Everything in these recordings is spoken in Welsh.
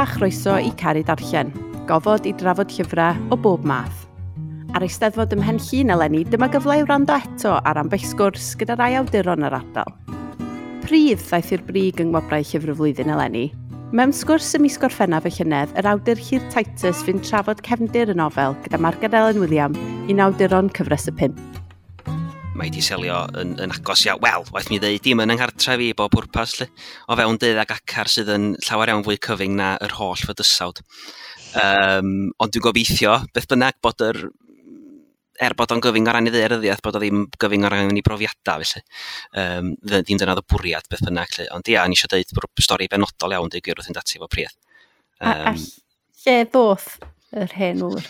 chroeso i Caru Darllen, gofod i drafod llyfrau o bob math. Ar Eisteddfod ym Mhen Llŷn eleni, dyma gyfle i wrando eto ar ambell sgwrs gyda rai awduron yr ardal. Pridd ddaeth i'r brig yng Ngwobrau Llyfr y Flwyddyn eleni. Mewn sgwrs ym mis Gorffennaf y llynedd, yr awdur Llyr Titus fu'n trafod cefndir y nofel gyda Marged Elen William, un awduron cyfres y pump. Mae 'di selio yn agos iawn, wel, waeth mi ddeud, dim yn yng nghartref i bob pwrpas, 'lly. O fewn deuddag acar sydd yn llawer iawn fwy cyfyng na yr holl fydysawd. Ond dwi'n gobeithio, beth bynnag, bod yr, er bod o'n gyfyng o ran ei ddaearyddiaeth, bod o ddim gyfyng o ran ei brofiadau, felly. Ddim dyna oedd y bwriad, beth bynnag, 'lly. Ond ia, o'n i eisiau deud stori benodol iawn, deud gwir wrth fynd ati efo Pridd. A lle ddoth yr hen ŵr?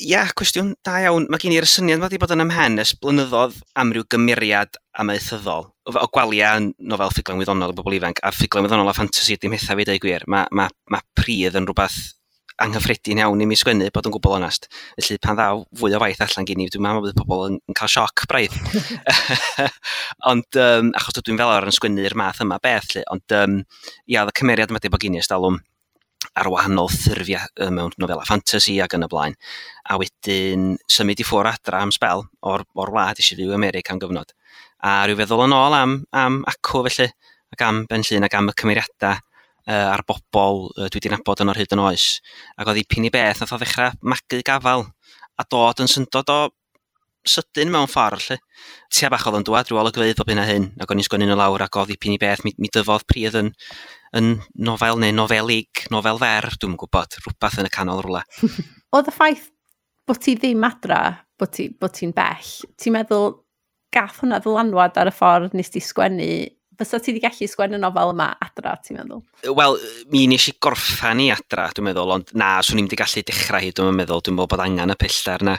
Ia, cwestiwn da iawn. Mae gen i'r syniad wedi bod yn ymhen ers blynyddoedd am ryw gymeriad amaethyddol. O Gwalia yn nofel ffuglen wyddonol i bobl ifanc, a ffuglen wyddonol a ffantasi dim hetha fi, deud gwir. Mae Pridd yn rhywbeth anghyffredin iawn i mi sgwennu, bod yn gwbl onest. Felly pan ddaw fwy o waith allan gen i, dwi'n meddwl bydd pobl yn cael sioc braidd. Ond achos dwi'n fel arfer yn sgwennu'r math yma beth, 'lly. Ond ia, oedd y cymeriad yma wedi bod gen i ers talwm ar wahanol ffurfiau mewn nofela ffantasi ac yn y blaen. A wedyn symud i ffwrdd adra am sbel o'r wlad, eisiau fyw America am gyfnod. A rhyw feddwl yn ôl am acw felly, ac am Ben Llŷn ac am y cymeriadau a'r bobl dwi wedi nabod yn o'r hyd yn oes. Ac oedd dipyn i beth nath o ddechrau magu gafal a dod yn syndod o sydyn mewn ffordd, 'lly. Tua bach oedd o'n dŵad rhyw olygfeydd bob hyn a hyn, ac o'n i'n sgwennu nhw lawr, ac oedd dipyn i beth, mi dyfodd Pridd yn nofel neu nofelig, nofel fer, dwi'm yn gwybod, rhywbeth yn y canol rhywle. Oedd y ffaith bod ti ddim adra, bod ti'n bell, ti'n meddwl gath hwnna ddylanwad ar y ffordd nes ti sgwennu? Fysa ti wedi gallu sgwennu nofel yma adra, ti'n meddwl? Wel, mi nes i gorffan i adra, dwi'n meddwl, ond na, swn i'm wedi gallu dechrau hi, dwi'n meddwl. Dwi'n meddwl bod angen y pellter na.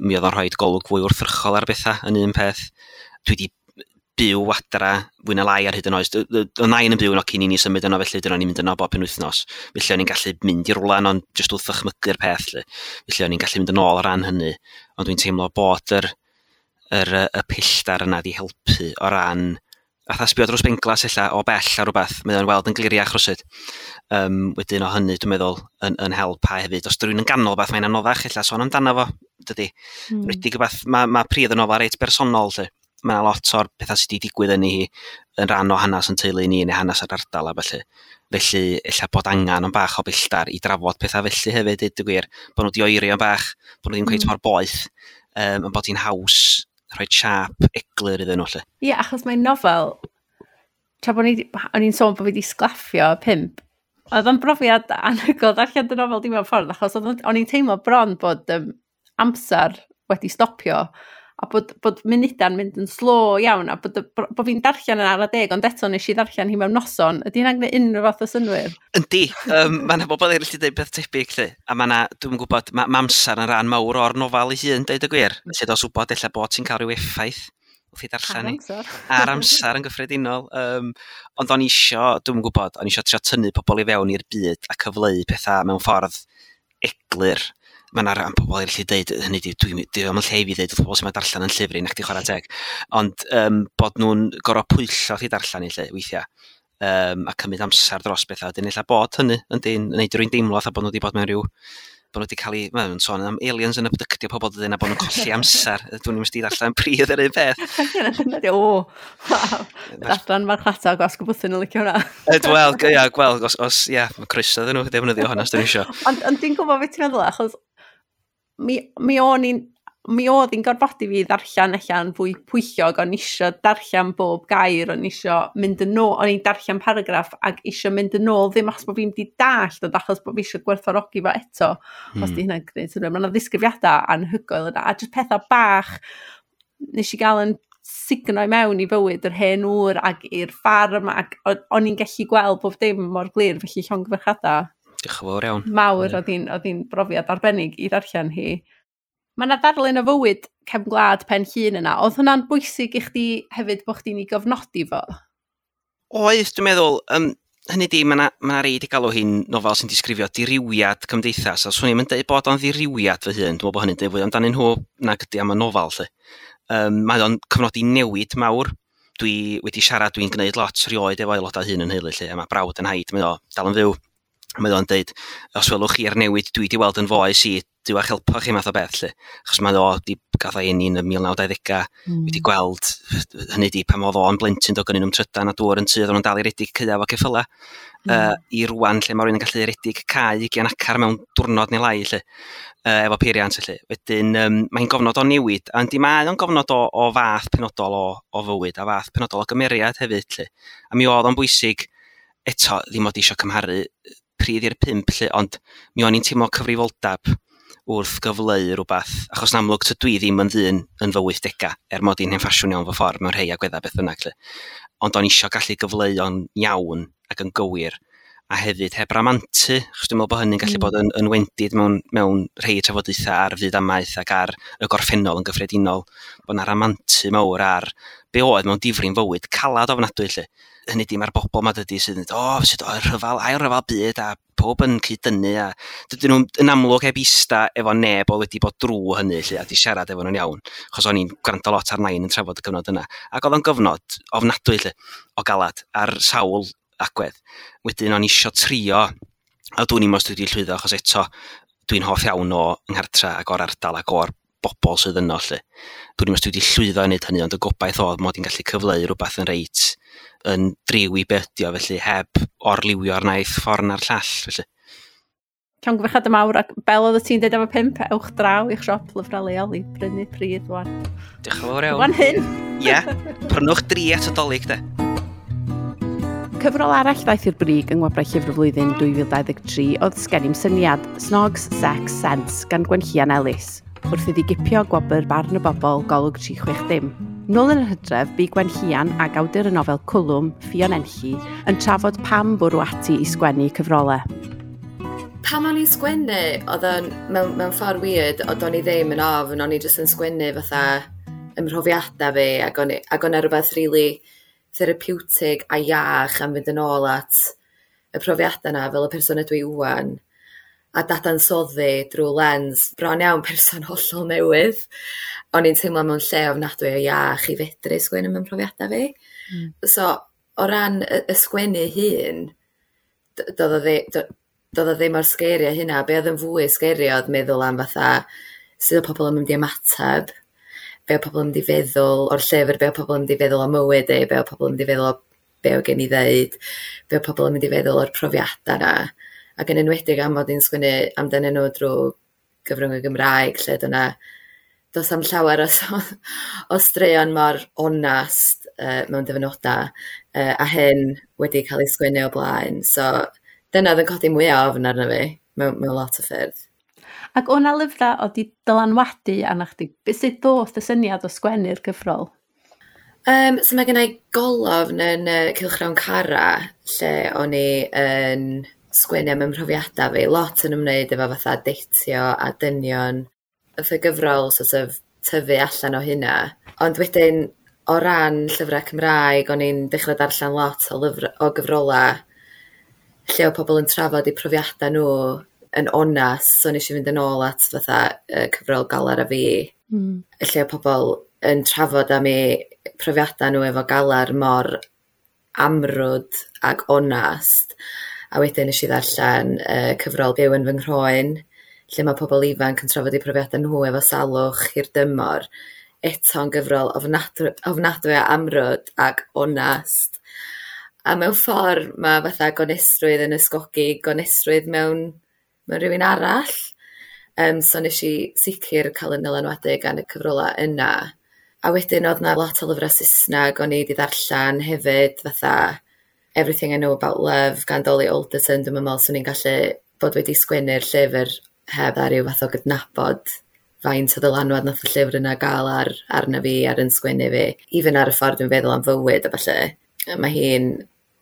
Mi oedd o'n rhoi golwg fwy wrthrychol ar bethau yn un peth. Dwi wedi byw adra fwy na lai ar hyd yn oes. Oedd nain yn byw yno cyn i ni symud yno, felly dyna ni'n mynd yno bob penwythnos. Felly o'n i'n gallu mynd i rwla ond jyst wrth ddychmygu'r peth, 'lly. Felly o'n i'n gallu mynd yn ôl o ran hynny. Ond dwi'n teimlo bod y pellter yna 'di helpu o ran fatha sbio dros benglas ella o bell ar rhywbeth, mae o'n weld yn gliriach rywsut. Wedyn o hynny, dwi'n meddwl, yn help a hefyd. Os rywun yn ganol beth, mae'n anoddach ella sôn amdano fo, dydy. Enwedig rywbeth, mae Pridd yn nofel reit bersonol, 'lly. Mae yna lot o'r pethau sydd wedi digwydd yn hi yn rhan o hanes yn teulu ni neu hanes yr ardal a felly. Felly, ella bod angen o'n bach o bellter i drafod pethau felly hefyd, deud y gwir. Bod nhw wedi oeri o'n bach, bod nhw ddim cweit mor boeth, ond bod hi'n haws rhoi siâp eglur iddyn nhw, 'lly. Ie, achos mae'n nofel, tra bod o'n i'n sôn bod fi wedi sglaffio 5, oedd o'n brofiad anhygoel darllen dy nofel di mewn ffordd, achos o'n i'n teimlo bron bod amser wedi stopio, a bod munudau'n mynd yn slo iawn, a bod fi'n darllen yn ara deg, ond eto nes i ddarllen hi mewn noson. Ydy hynna'n gwneud unrhyw fath o synnwyr? Yndi, mae yna bobl eraill wedi dweud peth tebyg, 'lly. A mae yna, dwi'n gwybod, mae amser yn rhan mawr o'r nofel ei hun, deud y gwir. Felly dos wybod ella bod ti'n cael rhyw effaith wrth i darllen Ar hi. amser. Ar amser yn gyffredinol. Ond o'n i isio, dwi'n gwybod, o'n i isio trio tynnu pobl i fewn i'r byd a cyfleu pethau mewn ffordd eglur. Mae yna ran pobl eraill i ddeud, hynny di, dwi ddim yn lle i fi ddeud wrth pobl sy'n ma darllen yn llyfr i, nac di chwarae teg. Ond bod nhw'n gorfod pwyllo wrth i darllen i lle, weithiau, a cymryd amser dros bethau. Wedyn ella bod hynny, yndi, yn neud rywun deimlo fatha bod nhw wedi bod mewn rhyw, bod nhw wedi cael eu, maen nhw'n sôn am aliens yn abductio pobl dydyn, a bod nhw'n colli amser. Dwi'n mynd i ddarllen Pridd yr un peth. Dyna di, o, waw. Adran marchnata gwasg y bwthyn yn licio hwnna. Wel, ia, gwel, os, ia, mae croeso iddyn nhw defnyddio hwnna os dyn nhw isio. Ond dwi'n gwybod beth ti'n meddwl, achos mi oedd hi'n gorfodi fi ddarllen allan fwy pwyllog, o'n isio darllen bob gair, o'n isio mynd yn ôl, o'n i'n darllen paragraff ac isio mynd yn ôl, ddim achos bod fi'n di dallt, ond achos bod fi isio gwerthfawrogi fo eto, os di hynna'n gwneud synnwyr. Mae yna ddisgrifiadau anhygoel yna, a jyst pethau bach nes i gael yn sugno i mewn i fywyd yr hen ŵr ac i'r ffarm, ac o'n i'n gallu gweld bob dim mor glir, felly llongyfarchiadau. Diolch yn fawr iawn. Mawr, oedd hi'n brofiad arbennig i ddarllen hi. Mae yna ddarlun o fywyd cefn gwlad Pen Llŷn yna. Oedd hwnna'n bwysig i chdi hefyd bod chdi'n ei gofnodi fo? Oedd, dwi'n meddwl. Hynny di, mae yna rei 'di galw hi'n nofel sy'n disgrifio dirywiad cymdeithas. A swn i'm yn deud bod o'n ddirywiad fy hun. Dwi'n meddwl bod hynny'n deud fwy amdanyn nhw nag ydi am y nofel, 'lly. Mae o'n cyfnodi newid mawr. Dwi wedi siarad, dwi'n gwneud lot rioed efo aelodau hŷn yn nheulu, 'lly, a mae brawd yn nhaid, mae o dal yn fyw. Mae o'n deud, os welwch chi'r newid dwi wedi weld yn foes i, Duw a'ch helpo chi math o beth, lle. Achos mae o, di, gath o'i eni yn y 1920au, wedi gweld, hynny di, pan oedd o'n blentyn, doedd gynnu nhw'm trydan a dŵr yn tŷ, oedden nhw'n dal i redig caeau efo ceffyla. I rwan, lle mae rhywun yn gallu redig cae 20 acar mewn diwrnod neu lai, lle, efo peiriant, lle. Wedyn, mae'n gofnod o newid, a yndi, mae o'n gofnod o fath penodol o fywyd, a fath penodol o gymeriad hefyd, lle. A mi oedd o'n bwysig, eto, ddim od eisiau cymharu pridd i'r pump, lle, ond mi o'n i'n teimlo cyfrifoldeb wrth gyfleu rhywbeth, achos yn amlwg tydw i ddim yn ddyn yn fy 80au, er mod i'n hen ffasiwn iawn fy ffordd mewn rhai agweddau beth bynnag. Lle. Ond o'n isio gallu gyfleu o'n iawn ac yn gywir, a hefyd heb ramantu, achos dwi'n meddwl bod hynny'n gallu bod yn wendid mewn rhai trafodaethau ar fyd amaeth ac ar y gorffennol yn gyffredinol, bod 'na ramantu mawr ar be oedd mewn difri'n fywyd calad ofnadwy, lle. Hynny di, mae'r bobl ma dydy sydd yn dweud, o, sut oedd rhyfel, ail rhyfel byd, a pob yn cyd-dynnu, a dydyn nhw'n yn amlwg heb ista efo neb oedd wedi bod drwy hynny, lle, a di siarad efo nhw'n iawn, achos o'n i'n gwrando lot ar nain yn trafod y cyfnod yna. Ac oedd o'n gyfnod ofnadwy, lle, o galad, ar sawl agwedd. Wedyn o'n isio trio, a dwi'n i'm os dwi wedi llwyddo, achos eto dwi'n hoff iawn o 'nghartra ac o'r ardal ac o'r bobl sydd yno, lle. Dwi'n i'm os dwi wedi llwyddo i wneud hynny, ond y gobaith oedd mod i'n gallu cyfleu rhywbeth yn reit yn driw i be ydi o, felly heb orliwio'r naill ffordd na'r llall, felly. Llongyfarchiadau mawr, ac fel oedd ti'n dweud am y pump, ewch draw i'ch siop lyfrau leol i brynu pridd wan. Diolch yn fawr iawn. Wan hyn. Ie, prynwch dri at y Dolig, de. Cyfrol arall ddaeth i'r brig yng Ngwobrau Llyfr y Flwyddyn 2023 oedd Sgen i'm Syniad, Snogs, Sex, Sense gan Gwenllian Ellis, wrth iddi gipio gwobr Barn y Bobl Golwg 360. Nôl yn yr hydref, bu Gwenllian ac awdur y nofel Cwlwm, Ffion Enlli, yn trafod pam bwrw ati i sgwennu cyfrolau. Pam o'n i'n sgwennu, oedd o'n mewn ffordd weird, oedd o'n i ddim yn ofn, o'n i jyst yn sgwennu fatha ym mhrofiadau fi, ac o'n i rhywbeth really therapeutig a iach am fynd yn ôl at y profiadau yna fel y person ydw i ŵan, a dadansoddi drwy lens bron iawn person hollol newydd. O'n i'n teimlo mewn lle ofnadwy o iach i fedru sgwennu mewn profiadau fi. So, o ran y sgwennu hun, doedd o ddim mor scary â hynna. Be oedd yn fwy scary oedd meddwl am fatha sut oedd pobl yn mynd i ymateb, be oedd pobl yn mynd i feddwl o'r llyfr, be oedd pobl yn mynd i feddwl o mywyd i, be oedd pobl yn mynd i feddwl o be oedd gen i ddeud, be oedd pobl yn mynd i feddwl o'r profiadau yna. Ac yn enwedig am fod i'n sgwennu amdanyn nhw drwy gyfrwng y Gymraeg, lle dyna does am llawer o straeon mor onast mewn dyfynodau, a hyn wedi cael ei sgwennu o blaen. So dyna oedd yn codi mwyaf ofn arno fi mewn lot o ffyrdd. Ac o'na lyfrau oedd di dylanwadu arna chdi? Sut ddoth y syniad o sgwennu'r gyfrol? So mae gen i golofn yn Cylchgrawn Cara, lle o'n i yn sgwennu am ymhrofiadau fi, lot yn ymwneud efo fatha deitio a dynion. Oedd y gyfrol sort of tyfu allan o hynna. Ond wedyn, o ran llyfrau Cymraeg, o'n i'n dechrau darllen lot o gyfrolau lle oedd pobl yn trafod eu profiadau nhw yn onast. So nes i fynd yn ôl at fatha cyfrol Galar a Fi, lle oedd pobl yn trafod am eu profiadau nhw efo galar mor amrwd ac onast. A wedyn nes i ddarllen cyfrol Byw yn fy nghroen, lle mae pobl ifanc yn trafod eu profiadau nhw efo salwch hirdymor. Eto'n gyfrol ofnadwy a amrwd ac onast. A mewn ffordd mae fatha gonestrwydd yn ysgogi gonestrwydd mewn rhywun arall. So nes i sicr cael yn dylanwadu gan y cyfrolau yna. A wedyn oedd 'na lot o lyfrau Saesneg o'n i wedi ddarllen hefyd, fatha Everything I Know About Love gan Dolly Alderton. Dwi'n meddwl swn i'n gallu bod wedi sgwennu'r llyfr heb ar ryw fath o gydnabod faint o ddylanwad nath y llyfr yna gael arna fi, ar yn sgwennu fi. Even ar y ffordd dwi'n feddwl am fywyd a ballu. Mae hi'n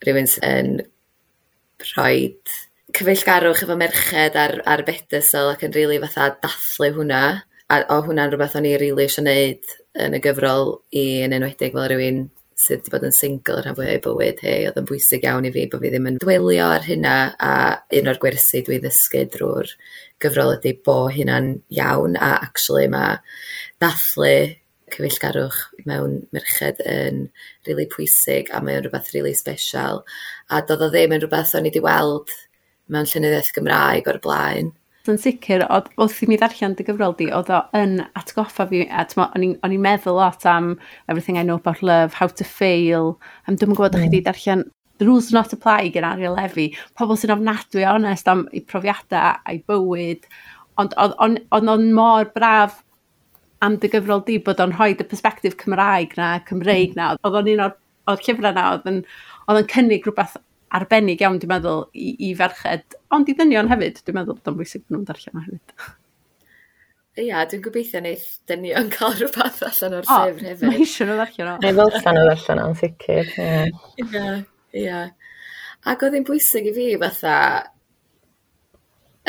rhywun sy'n rhoi cyfeillgarwch efo merched ar bedestal ac yn rili fatha dathlu hwnna. A o hwnna'n rhywbeth o'n i rili eisiau neud yn y gyfrol i, yn enwedig fel rhywun sydd wedi bod yn single rhan fwyaf o'i bywyd hi. Oedd yn bwysig iawn i fi bod fi ddim yn dwelio ar hynna, a un o'r gwersi dwi ddysgu drwy'r gyfrol ydy bo hynna'n iawn, a actually mae dathlu cyfeillgarwch mewn merched yn rili pwysig, a mae o'n rhywbeth rili special. A doedd o ddim yn rhywbeth o'n i wedi weld mewn llenyddiaeth Gymraeg o'r blaen. Yn sicr, oedd, wrth i mi ddarllen dy gyfrol di, oedd o yn atgoffa fi, a o'n i'n meddwl lot am Everything I Know About Love, How to Fail, am dwi'm yn gwybod ydych chi wedi darllen The Rules Do Not Apply gen Ariel Levy, pobl sy'n ofnadwy o onest am eu profiadau a'i bywyd, ond oedd o'n mor braf am dy gyfrol di bod o'n rhoi y perspectif Cymraeg na, Cymreig na, oedd o'n un o'r llyfrau na, oedd o'n cynnig rhywbeth arbennig iawn, dwi'n meddwl, i ferched, ond i ddynion hefyd, dwi'n meddwl bod o'n bwysig bod nhw'n darllen o hefyd. Ia, dwi'n gobeithio neith dynion cael rhywbeth allan o'r llyfr hefyd. Mae eisiau nhw ddarllen o. Neu ddylsan nhw ddarllen o'n sicr. Ie, ie. Ac oedd hi'n bwysig i fi fatha,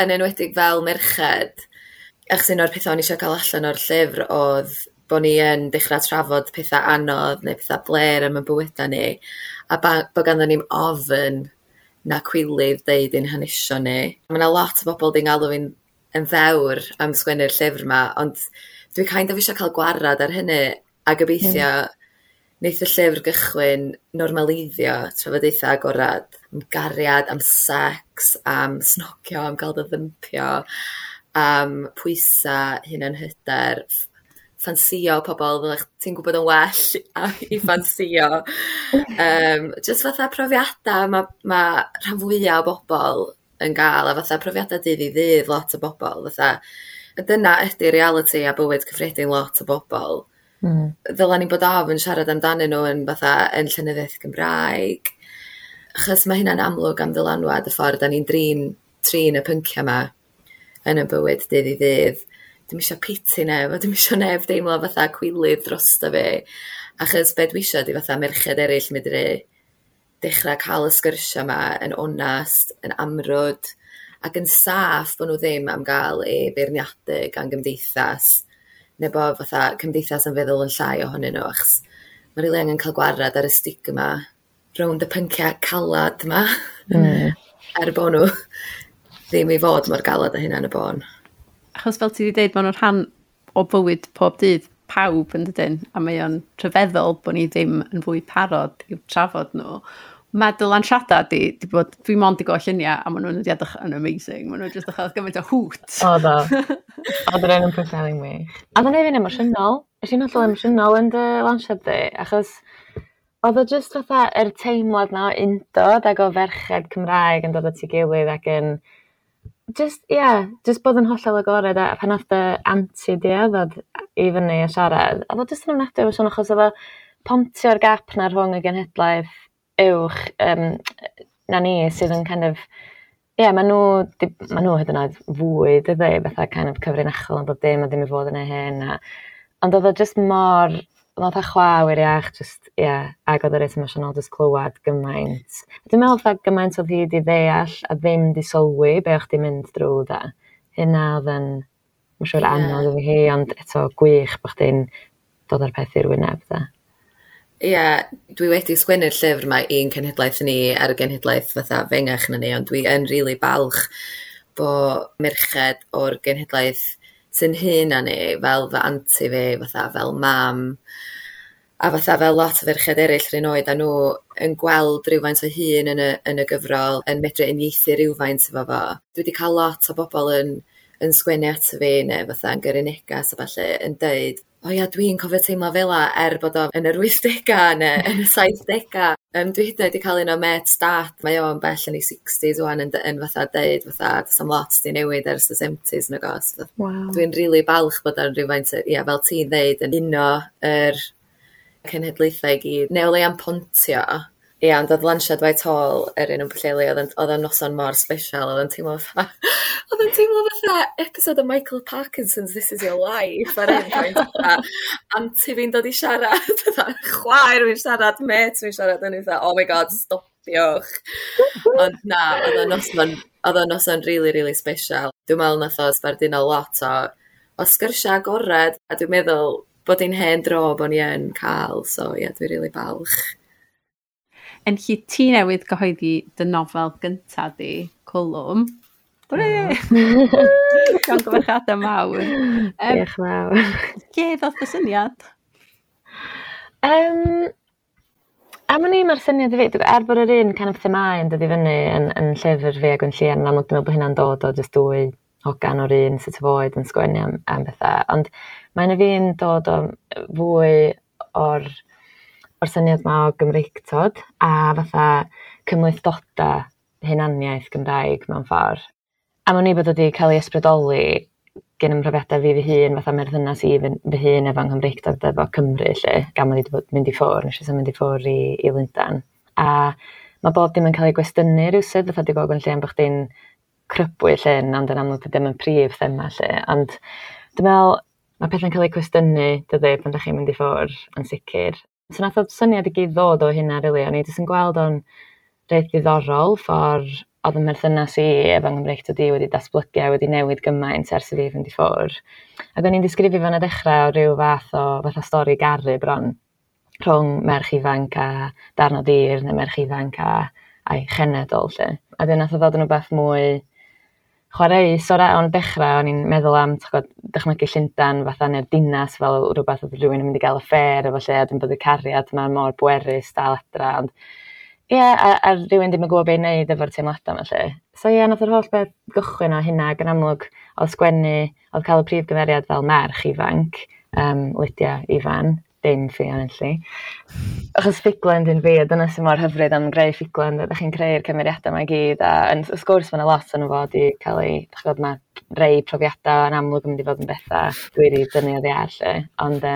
yn enwedig fel merched, achos un o'r pethau o'n i eisiau cael allan o'r llyfr oedd bod ni yn dechrau trafod pethau anodd neu pethau blêr am y bywydau ni, a bod ganddo ni'm ofn na cwilydd deud ein hanesion ni. Mae yna lot o bobl di'n galw fi'n yn ddewr am sgwennu'r llyfr yma, ond dwi kind of eisiau cael gwarad ar hynny a gobeithio neith y llyfr gychwyn normaleiddio trafodaethau agorad am gariad, am sex, am snogio, am gael dy ddympio, am pwysa, hunanhyder, ffansïo pobl fel ti'n gwybod yn well i ffansïo. Just fatha profiadau ma rhan fwyaf o bobl yn gael, a fatha profiadau dydd i ddydd lot o bobl. Fatha, dyna ydy reality a bywyd cyffredin lot o bobl. Ddyla ni bod ofn siarad amdanyn nhw yn fatha yn llenyddiaeth Gymraeg, achos mae hynna'n amlwg am ddylanwad y ffordd da ni'n trin y pynciau yma yn y bywyd dydd i ddydd. Dwi'm isio piti neb, a dwi'm isio neb deimlo fatha cwilydd drosto fi, achos be dwi isio ydi fatha merched eraill medru dechrau cael y sgyrsia yma yn onast, yn amrwd, ac yn saff bod nhw ddim am gael eu beirniadu gan gymdeithas, neu bod fatha cymdeithas yn feddwl yn llai ohonyn nhw, achos mae rili angen cael gwarad ar y stigma rownd y pynciau calad yma, er bod nhw ddim i fod mor galad â hynna yn y bôn. Achos fel ti wedi dweud, maen nhw'n rhan o bywyd pob dydd pawb yn dydyn, a mae o'n rhyfeddol bod ni ddim yn fwy parod i'w trafod nhw. Mae dy lansiadau di bod, dwi mond i gweld lluniau, a maen nhw'n edrych yn amazing. Maen nhw'n jyst edrych gymaint o hoot. Oedd o. Oedd yr un yn Pwllheli'n wych. A oedd o'n neud fi'n emosiynol. Es i'n hollol emosiynol yn dy lansiad di, achos oedd o jyst fatha yr teimlad na o undod ac o ferched Cymraeg yn dod at ei gilydd ac yn just, yeah, just bod yn hollol agored, a pan nath dy anti di ddod i fyny a siarad, oedd o jyst yn ofnadwy o emosiynol, achos oedd o pontio'r gap na rhwng y genhedlaeth uwch na ni sydd yn kind of, ie, yeah, maen nhw hyd yn oed fwy, dydy, fatha kind of cyfrinachol yn bob dim a ddim i fod yn ei hyn. Ond oedd o just mor, oedd o chwa wiriach, just, ie, yeah, ac oedd o reit emosiynol just clywed gymaint. Dwi'n meddwl fatha gymaint oedd hi wedi ddeall a ddim di sylwi be o'ch di mynd drwy da. Hynna oedd yn, mae'n siŵr anodd iddi hi, ond eto gwych bod chdi'n dod â'r peth i'r wyneb da. Ie, yeah, dwi wedi sgwennu'r llyfr yma i'n cenhedlaeth ni a'r genhedlaeth fatha fengach na ni, ond dwi yn rili balch bo merched o'r genhedlaeth sy'n hŷn na ni, fel fy anti fi, fatha fel mam, a fatha fel lot o ferched eraill yr un oed a nhw yn gweld rhywfaint o hun yn y gyfrol, yn medru uniaethu rhywfaint efo fo. Dwi wedi cael lot o bobl yn sgwennu ato fi neu fatha yn gyrru negas a ballu yn deud, o ia, dwi'n cofio teimlo fela er bod o yn yr 80au neu yn y 70au. Dwi hyd yn oed wedi cael un o mêt dad, mae o'n bell yn ei 60s wan yn fatha deud, fatha, does am lot di newid ers y 70s nag oes. Wow. Dwi'n rili balch bod o'n rhywfaint, ia, fel ti'n ddeud, yn uno yr cenhedlaethau i gyd, neu o leia'n pontio. Ia, ond oedd lansiad Whitehall yr un yn Pwllheli, oedd o'n noson mor special, oedd o'n teimlo fatha episode o Michael Parkinson's This Is Your Life ar un pwynt, fatha, anti fi'n dod i siarad, fatha, chwaer fi'n siarad, mêt fi'n siarad, o'n i fatha, oh my god, stopiwch. Ond na, oedd o'n noson really, really special. Dwi'n meddwl nath o sbarduno lot o sgyrsiau agored, a dwi'n meddwl bod hi'n hen dro bod ni yn cael, so ie, yeah, dwi'n really balch. Yn lle ti newydd gyhoeddi dy nofel gynta di, Cwlwm. Hwrê! Llongyfarchiadau mawr. Diolch mawr. Lle ddoth y syniad? Am wn i, mae'r syniad i fi, er bod yr un kind of themâu yn dod i fyny yn llyfr fi a Gwenllian, yn amlwg dwi'n meddwl bod hynna'n dod o jyst dwy hogan o'r un sort of oed yn sgwennu am bethau, ond mae'n i fi'n dod o fwy o'r syniad 'ma o Gymreictod a fatha cymhlethdodau hunaniaeth Gymraeg mewn ffordd. Am wn i bod wedi cael ei ysbrydoli gen 'y mhrofiadau fi fy hun, fatha merthynas i fy hun efo Nghymreictod efo Cymru 'lly, gan mod i 'di bod mynd i ffwrdd, nes i symud i ffwrdd i Lundan. A mae bob dim yn cael ei gwestiynu rywsut, fatha 'di gweld Gwenllian bod chdi'n crybwyll hyn, ond yn amlwg dydi o'm yn prif thema 'lly. Ond dwi'n meddwl mae pethau'n cael eu cwestiynu, dydi, pan dach chi'n mynd i ffwrdd, yn sicr. So nath o syniad i gyd ddod o hynna rili, o'n i jyst yn gweld o'n reit ddiddorol ffordd oedd 'y mherthynas i efo Nghymreictod i wedi datblygu a wedi newid gymaint ers i fi fynd i ffwrdd. Ac o'n i'n disgrifio fo'n y dechrau o ryw fath o fatha stori garu bron rhwng merch ifanc a darn o dir neu merch ifanc a'i chenedl 'lly. A wedyn nath o ddod yn rywbeth mwy chwareus o ran dechrau, o'n i'n meddwl am dychmygu Llundain fatha neu'r dinas fel rhywbeth oedd rhywun yn mynd i gael affair efo lle, a wedyn bod y cariad 'ma mor bwerus dal adra, ond ie, a rhywun ddim yn gwybod be i wneud efo'r teimladau 'ma 'lly. So ie, nath yr holl beth gychwyn o hynna, ac yn amlwg oedd sgwennu, oedd cael y prif gymeriad fel merch ifanc, Lydia Ifan, dim Ffion Enlli. Achos ffuglen dyn fi, a dyna sy'n mor hyfryd am greu ffuglen, ydych chi'n creu'r cymeriadau yma i gyd, a wrth gwrs mae yna lot o'n fod i cael ei, dych chi'n gwbod, mae rei profiadau yn amlwg yn mynd i fod yn bethau dwi wedi dynnu oddi ar 'lly, ond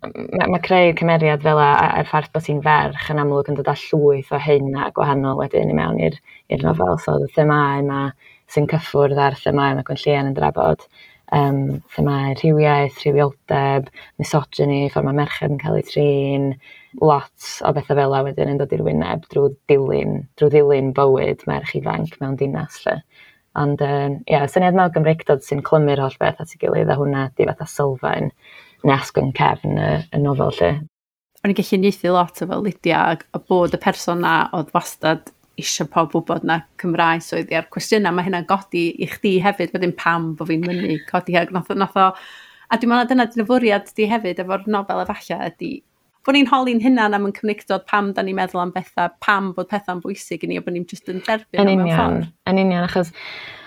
mae creu cymeriad fel a'r ffaith bod hi'n ferch yn amlwg yn dod â llwyth o hyn a gwahanol wedyn i mewn i'r nofel. So y themâu yma sy'n cyffwrdd â'r themâu mae Gwenllian yn drafod, themâu rhywiaeth, rhywioldeb, misogyny, ffordd mae merched yn cael eu trin, lot o bethau fel 'na wedyn yn dod i'r wyneb drwy ddilyn bywyd merch ifanc mewn dinas 'lly. Ond ie, syniad mawr Gymreictod sy'n clymu'r holl beth at ei gilydd, a hwnna 'di fatha sylfaen neu asgwrn cefn y nofel 'lly. O'n i'n gallu uniaethu lot efo Lydia a bod y person na oedd wastad eisiau pawb wybod na Cymraes oedd hi, a'r cwestiynau mae hynna'n godi i chdi hefyd wedyn, pam bod fi'n mynnu codi ag nath o, a dwi'n meddwl dyna dyna fwriad di hefyd efo'r nofel efallai, ydy bod ni'n holi'n hunan am yn Cymreictod, pam da ni'n meddwl am bethau, pam bod pethau'n bwysig i ni, a bod ni'n just yn derbyn Yn nhw mewn union, ffordd. Yn union, achos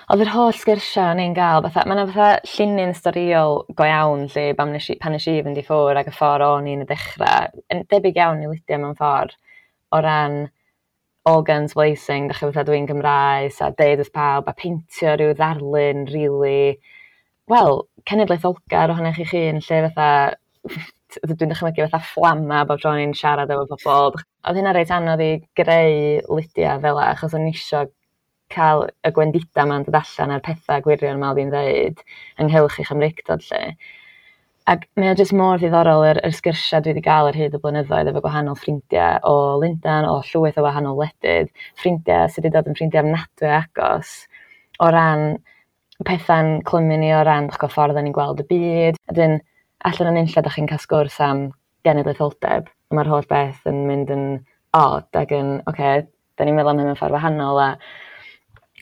oedd yr holl sgyrsiau o'n i'n gael, fatha, mae yna fatha llinyn storïol go iawn lle pan nes i fynd i ffwrdd ac y ffordd o'n i'n y dechrau, yn debyg iawn i Lydia mewn ffordd, o ran all guns blazing, dach chi, fatha dwi'n Gymraes a deud wrth pawb a peintio rhyw ddarlun rili, wel, cenedlaetholgar ohonoch chi'ch hun, lle fatha, dwi'n dychmygu fatha fflama bob tro o'n i'n siarad efo pobl. Oedd hynna reit anodd i greu Lydia fel 'a, achos o'n i isio cael y gwendidau 'ma'n dod allan a'r pethau gwirion 'ma oedd hi'n ddeud ynghylch ei Chymreictod 'lly. Ac mae o jyst mor ddiddorol yr sgyrsiau dwi wedi gael ar hyd y blynyddoedd efo gwahanol ffrindiau o Lundain, o llwyth o wahanol wledydd, ffrindiau sydd wedi dod yn ffrindiau ofnadwy o agos o ran pethau'n clymu ni o ran, dych chi'n gwbod, ffordd 'dan ni'n gweld y byd. A wedyn allan o'n unlla dach chi'n cael sgwrs am genedlaetholdeb, a ma'r holl beth yn mynd yn odd ac yn, ocê, 'dan ni'n meddwl am hyn mewn ffordd wahanol, a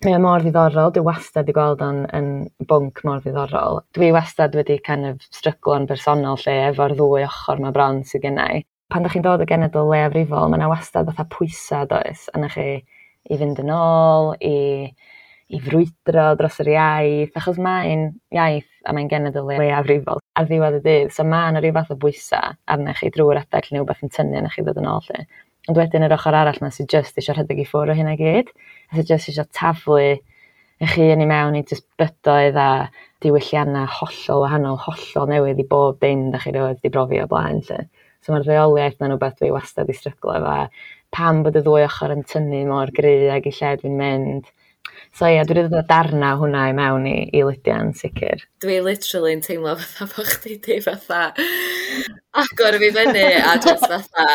mae o mor ddiddorol. Dwi wastad 'di gweld o'n yn bwnc mor ddiddorol. Dwi wastad wedi kind of stryglo'n bersonol lle efo'r ddwy ochr 'ma bron sydd gennai. Pan dach chi'n dod o genedl leiafrifol, ma' 'na wastad fatha pwysa, does, arnoch chi i fynd yn ôl, i frwydro dros yr iaith, achos mae'n iaith a mae'n genedl leiafrifol ar ddiwedd y dydd. So ma' 'na ryw fath o bwysa arnoch chi drwy'r adeg lle wbath yn tynnu arnoch chi ddod yn ôl 'lly. Ond wedyn yr ochr arall 'ma sydd jyst isio rhedeg i ffwrdd o hynna i gyd, a sydd jyst isio taflu eich hun i mewn i jyst bydoedd a diwylliannau hollol wahanol, hollol newydd i bob dim dach chi rioed 'di brofi o blaen 'lly. So ma'r ddeuoliaeth 'na'n wbath dwi wastad 'di stryglo efo, a pam bod y ddwy ochr yn tynnu mor gry ag i lle dwi'n mynd. So ie, dwi wedi dod â darna o hwnna i mewn i Lydia yn sicr. Dwi literally yn teimlo fatha bo' chdi 'di fatha agor fi fyny a just fatha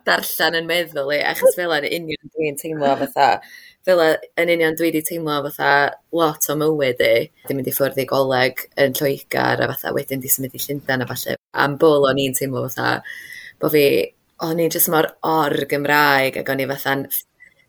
darllen yn meddwl i, achos fel 'a yn union dwi'n teimlo, fatha fel 'a yn union dwi 'di teimlo fatha lot o mywyd i. 'Di mynd i ffwrdd i goleg yn Lloegr a fatha wedyn 'di symud i Llundain a ballu. Am bwl o'n i'n teimlo fatha bo' fi, o'n i jyst mor or-Gymraeg ac o'n i fatha'n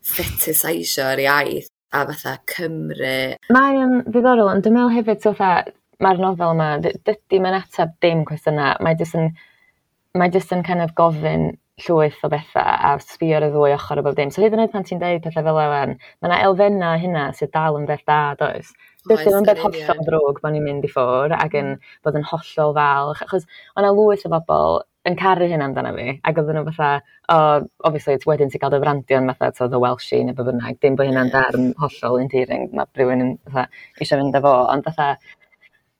fetiseisio'r iaith a fatha Cymru. Mae o'n ddiddorol, ond dwi'n meddwl hefyd, so fatha, mae'r nofel yma, dydy mae'n ateb dim cwestiynau, mae jyst yn kind of gofyn llwyth o bethau a sbio ar y ddwy ochr o bob dim. So hyd yn oed pan ti'n deud pethau fel yna, mae yna elfennau hynna sydd dal yn beth da, does? Dydy o'n beth hollol ddrwg bod ni'n mynd i ffwr ac yn bod yn hollol falch, achos o'na lwyth o bobl yn caru hynna amdano fi, ac oedden nhw fatha, oh, obviously, wedyn ti'n cael dy frandio'n fatha, to, the Welshie neu be bynnag, dim bod hynna'n darn hollol endearing, mae rhywun yn fatha eisiau fynd â fo, ond fatha,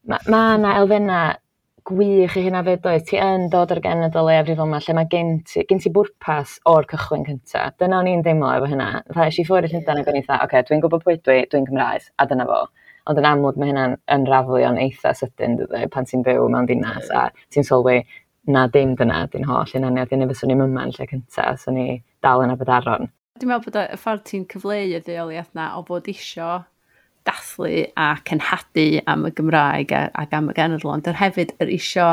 mae ma 'na elfennau gwych i hynna 'fyd does? Ti yn dod o'r genedl leiafrifol 'ma lle mae gen ti bwrpas o'r cychwyn cynta. Dyna o'n i'n deimlo efo hynna. Fatha es i ffwrdd i Llundain ac o'n i fatha, ocê, dwi'n gwybod pwy dwi, dwi'n Cymraes, a dyna fo. Ond yn amlwg mae hynna'n unravelio'n eitha sydyn dydy, pan ti'n byw mewn dinas a ti'n sylwi na dim dyna 'di'n holl hunaniaeth i, neu fyswn i'm yma yn lle cynta, 'swn i dal yn Aberdaron. Dwi'n meddwl bod y ffordd ti'n cyfleu y ddeuoliaeth 'na o fod isio dathlu a cenhadu am y Gymraeg ac am y genedl, ond yr hefyd yr isio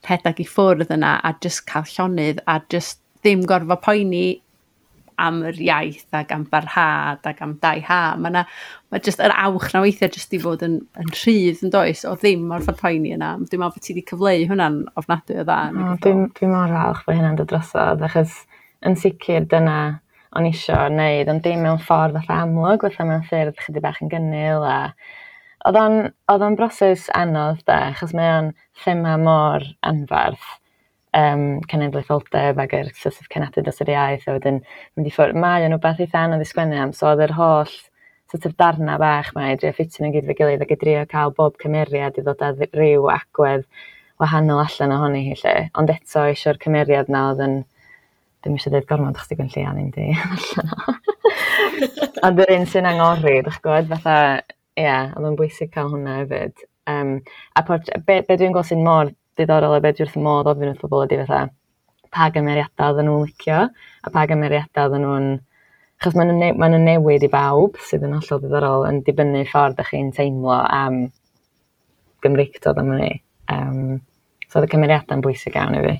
rhedeg i ffwrdd yna a just cael llonydd a just ddim gorfod poeni am yr iaith ac am barhad ac am dau ha. Mae na, mae just yr awch na weithiau just i fod yn rhydd yn does, o ddim orfod poeni yna. Dwi'n meddwl bod ti wedi cyfleu hwnna'n ofnadwy o dda. O, dwi mor falch bod hynna'n dod drosodd, achos yn sicr dyna o'n isio wneud, ond dim mewn ffordd fatha amlwg, fatha mewn ffyrdd chydig bach yn gynnil, a oedd o'n broses anodd de, achos mae o'n thema mor anferth, cenedlaetholdeb ac yr sort of cenhadu dros yr iaith, a wedyn mynd i ffwrdd. Mae o'n wbath eitha anodd i sgwennu am, so oedd yr holl sort of darna bach 'ma i drio ffitio nhw gyd efo'i gilydd ac i drio cael bob cymeriad i ddod â ryw agwedd wahanol allan ohoni hi 'lly. Ond eto eisiau'r cymeriad 'na oedd yn, dwi'm eisiau dweud gormod achos 'di Gwenllian ddim 'di allan o. Ond yr un sy'n angori, dych gwybod, fatha, ie, yeah, oedd o'n bwysig cael hwnna hefyd. A be dwi'n gweld sy'n mor diddorol a be dwi wrth fy modd ofyn wrth bobl ydy fatha, pa gymeriadau oedden nhw'n licio, a pa gymeriadau oedden nhw'n... Achos maen nhw'n newid i bawb, sydd yn hollol diddorol, yn dibynnu ffordd ydych chi'n teimlo am Gymreictod am hynny. So oedd y cymeriadau'n bwysig iawn i fi.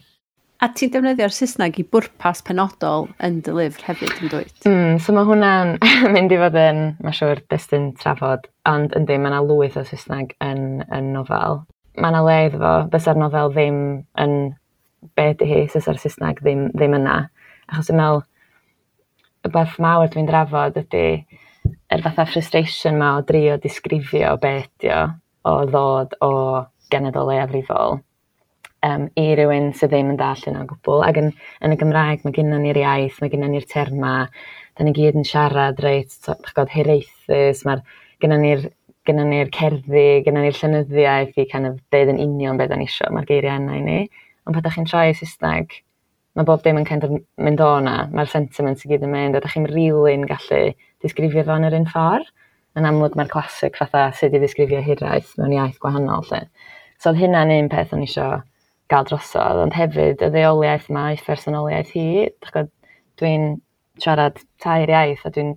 A ti'n defnyddio'r Saesneg i bwrpas penodol yn dy lyfr hefyd, yn dwyt? So mae hwnna'n mynd i fod yn, mae'n siŵr, destun trafod, ond yndi, mae yna lwyth o Saesneg yn nofel. Mae yna le iddo fo, bysa'r nofel ddim yn be ydy hi, fysa'r Saesneg ddim yna. Achos dwi'n meddwl, y beth mawr dwi'n drafod ydy yr fatha frustration ma o drio disgrifio be ydi o, o ddod o genedl leiafrifol i rywun sydd ddim yn dallt hynna o gwbl. Ac yn y Gymraeg mae gennym ni'r iaith, mae gennym ni'r terma, da ni gyd yn siarad reit, dych gwybod, hiraethus, mae'r gennym ni'r gennym ni'r cerddi, gennym ni'r llenyddiaeth i kind of deud yn union beth da ni isio, mae'r geiriau yna i ni. Ond pan ydych chi'n troi i Saesneg, mae bob dim yn kind of mynd o 'na, mae'r sentiment i gyd yn mynd, a ydych chi'n really'n gallu disgrifio fo yn yr un ffordd. Yn amlwg mae'r classic fatha sut i ddisgrifio hiraeth mewn iaith gwahanol 'lly. So oedd hynna'n un peth o'n i isio gael drosodd, ond hefyd y ddeuoliaeth 'ma i phersonoliaeth hi. Dych gwybod, dwi'n siarad tair iaith a dwi'n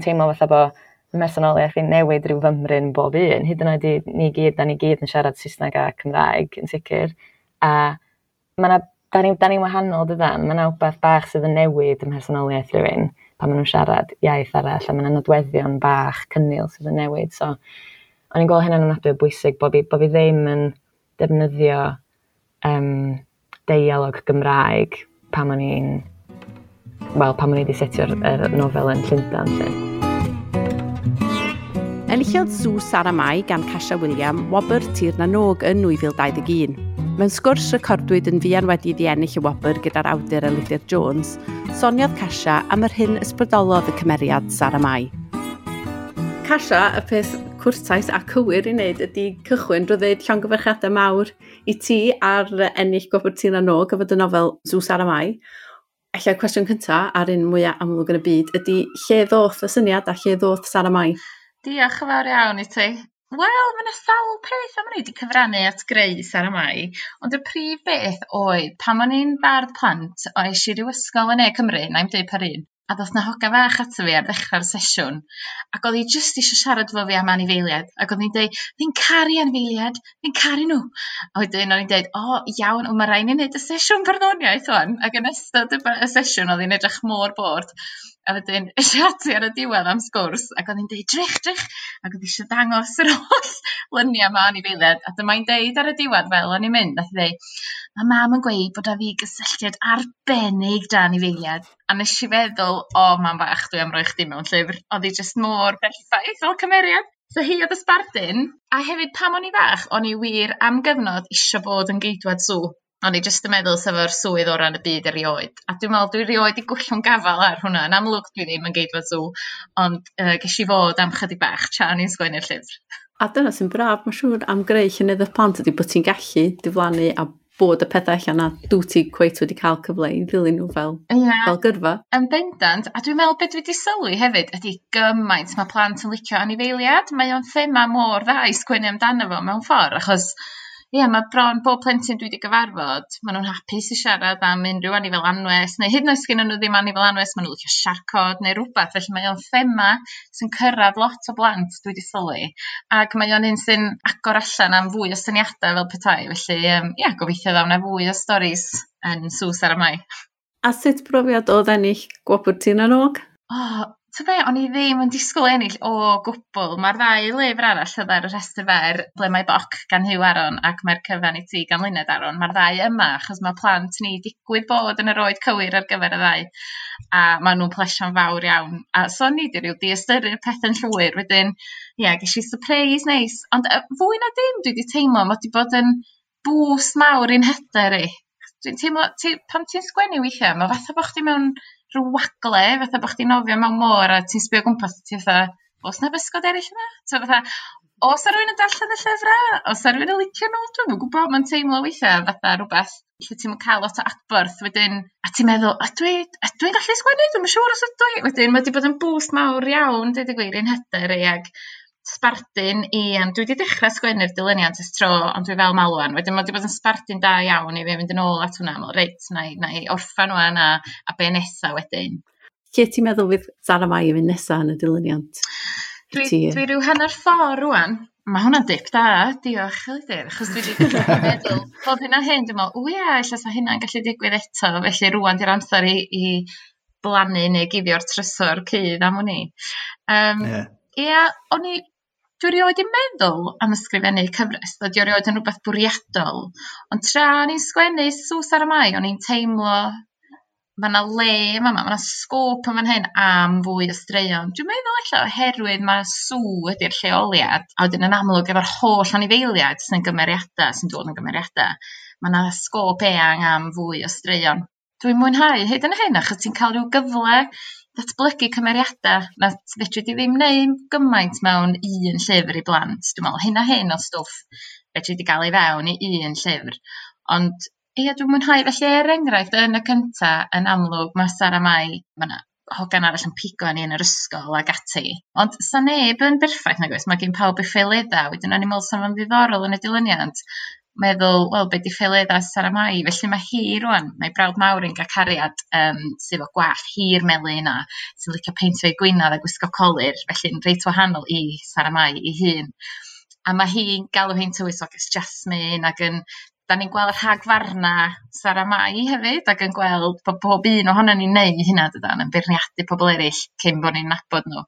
teimlo fatha bo fy mhersonoliaeth i'n newid rhyw fymryn bob un. Hyd yn oed i ni gyd, da ni gyd yn siarad Saesneg a Cymraeg yn sicr. A ma' 'na, da ni'n wahanol dydan? Ma' 'na wbath bach sydd yn newid ym mhersonoliaeth rhywun pan maen nhw'n siarad iaith arall, a ma' 'na nodweddion bach cynnil sydd yn newid. So o'n i'n gweld hynna'n ofnadwy o bwysig bo' fi ddim yn defnyddio deialog Gymraeg pan o'n i'n, wel, pan o'n i wedi setio'r yr nofel yn Llundain 'lly. Enillodd Sw Sara Mai gan Casia Wiliam wobr Tir na Nog yn 2021. Mewn sgwrs recordwyd yn fuan wedi iddi ennill y wobr gyda'r awdur Elidir Jones, soniodd Casia am yr hyn ysbrydolodd y cymeriad Sara Mai. Casia, y peth cwrtais a cywir i wneud ydy cychwyn drwy ddweud llongyfarchiadau mawr i ti ar ennill gwobr Tir na Nog efo dy nofel Sw Sara Mai. Ella y cwestiwn cyntaf a'r un mwyaf amlwg yn y byd ydy lle ddoth y syniad a lle ddoth Sara Mai? Diolch yn fawr iawn i ti. Wel, mae yna sawl peth am ni wedi cyfrannu at greu Sara Mai, ond y prif beth oedd pan o'n i'n bardd plant, o es i ryw ysgol yn Ne Cymru, na i'm deud pa un, a ddoth 'na hoga fach ato fi ar ddechrau'r sesiwn, ac oedd hi jyst eisiau siarad efo fi am anifeiliaid, ac oedd hi'n deud, "Fi'n caru anifeiliaid, fi'n caru nhw." A wedyn o'n i'n deud, "O, iawn, ond mae rhaid ni wneud y sesiwn barddoniaeth wan." Ac yn ystod y sesiwn oedd hi'n edrych mor bored. A wedyn es i ati ar y diwedd am sgwrs ac oedd hi'n deud, drych, drych, ac oedd eisiau dangos yr holl luniau 'ma anifeiliaid. A dyma hi'n deud ar y diwedd fel o'n i'n mynd, nath hi ddeud, mae mam yn gweud bod 'da fi gysylltiad arbennig 'da anifeiliaid. A nes i feddwl, o mam fach, dwi am roi chdi mewn llyfr. Oedd hi jyst mor berffaith fel cymeriad. So hi oedd y sbardun, a hefyd pan o'n i fach, o'n i wir am gyfnod isio bod yn geidwad sŵ. O'n i jyst yn meddwl sef o'r swydd orau yn y byd erioed. A dwi'n meddwl dwi erioed 'di gollwng gafal ar hwnna. Yn amlwg dwi ddim yn geidwad sŵ, ond ges i fod am chydig bach tra o'n i'n sgwennu'r llyfr. A dyna sy'n braf, mae'n siŵr, am greu llenyddiaeth plant ydy bod ti'n gallu diflannu a bod y pethau allan na dwyt ti cweit wedi cael cyfle i ddilyn nhw fel, Ia. fel gyrfa. Yn bendant, a dwi'n meddwl beth dwi wedi sylwi hefyd ydy gymaint mae plant yn licio anifeiliaid. Mae o'n thema mor dda i sgwennu amdano fo mewn ffordd, achos ie, mae bron bob plentyn dwi wedi gyfarfod, maen nhw'n hapus i siarad am unrhyw anifel anwes, neu hyd yn oed sgennyn nhw ddim anifel anwes, maen nhw'n licio siarcod neu rhywbeth, felly mae o'n thema sy'n cyrraedd lot o blant dwi wedi sylwi, ac mae o'n un sy'n agor allan am fwy o syniadau fel petai, felly ie, gobeithio ddaw 'na fwy o storis yn Sŵ Sara Mai. A sut brofiad oedd ennill Gwobr Tir na n-Og? O, ta be, o'n i ddim yn disgwyl ennill o gwbl. Mae'r ddau lyfr arall oedd ar y rhestr fer, Ble Mae Boc gan Huw Aaron ac Mae'r Cyfan i Ti gan Luned Aaron. Mae'r ddau yma, achos mae plant ni digwydd bod yn yr oed cywir ar gyfer y ddau, a maen nhw'n plesio'n fawr iawn. A so o'n i 'di ryw diystyru'r pethau'n llwyr. Wedyn, ie, ges i surprise neis. Ond fwy na dim, dwi wedi teimlo, mae wedi bod yn boost mawr i'n hyder i. Dwi'n teimlo, pan ti'n sgwennu weithiau, mae fatha bod chdi mewn rhyw wagle, fatha bod chdi'n nofio mewn môr a ti'n sbio o gwmpas a ti fatha, oes 'na bysgod eraill yma? So fatha, oes 'na rywun yn darllen y llyfrau? Oes 'na rywun yn licio nhw? Dwi'm yn gwybod, mae'n teimlo weithiau fatha rhywbeth lle ti'm yn cael lot o adborth wedyn, a ti'n meddwl, ydw i'n gallu sgwennu? Dwi'm yn siŵr os ydw i. Wedyn mae wedi bod yn boost mawr iawn, deud y gwir, i'n hyder i ag sbardun i, dwi wedi dechrau sgwennu'r dilyniant ers tro, ond dwi fel malwan. Wedyn mae wedi bod yn sbardun da iawn i fi fynd yn ôl at hwnna, meddwl, reit, na i orffan ŵan a be nesa wedyn. Lle ti'n meddwl fydd Sara Mai yn mynd nesa yn y dilyniant? Dwi ryw hanner ffordd rŵan. Mae hwnna'n dip da, diolch Elidir, achos dwi wedi meddwl bob hyn a hyn, dwi'n meddwl, o ia, ella sa hynna'n gallu digwydd eto, felly rŵan di'r amser i blannu neu guddio'r trysor cudd am wn i. Ia, dwi erioed 'di meddwl am ysgrifennu cyfres, dydy o erioed yn rhywbeth bwriadol, ond tra o'n i'n sgwennu Sŵ Sara Mai, o'n i'n teimlo mae 'na le yma, mae 'na sgôp yn fan hyn am fwy o straeon. Dwi'n meddwl ella oherwydd mae sŵ ydy'r lleoliad, a wedyn yn amlwg efo'r holl anifeiliaid sy'n gymeriadau, sy'n dod yn gymeriadau, mae 'na sgôp eang am fwy o straeon. Dwi'n mwynhau hyd yn hyn, achos ti'n cael rhyw gyfle datblygu cymeriadau na fedri di ddim neud gymaint mewn un llyfr i blant. Dwi'n meddwl hyn a hyn o stwff fedri di gael ei fewn i un llyfr. Ond ie, dwi'n mwynhau. Felly er enghraifft, yn y cynta, yn amlwg, mae Sara Mai, mae 'na hogan arall yn pigo arni yn yr ysgol ag ati. Ond sa neb yn berffaith nag oes, mae gen pawb eu ffaeleddau. Wedyn o'n i'n meddwl sa fo'n ddiddorol yn y dilyniant meddwl, wel, be 'di ffaeleddau Sara Mai? Felly mae hi rŵan, mae brawd mawr yn gael cariad sydd efo gwallt hir melyn a sy'n licio peintio ei gwynaf a gwisgo colur, felly'n reit wahanol i Sara Mai ei hun. A mae hi'n galw hi'n tywysoges Jasmine ac yn, da ni'n gweld rhagfarna Sara Mai hefyd ac yn gweld bod bob un ohonon ni'n neud hynna dydan, yn beirniadu pobl eraill cyn bod ni'n nabod nhw.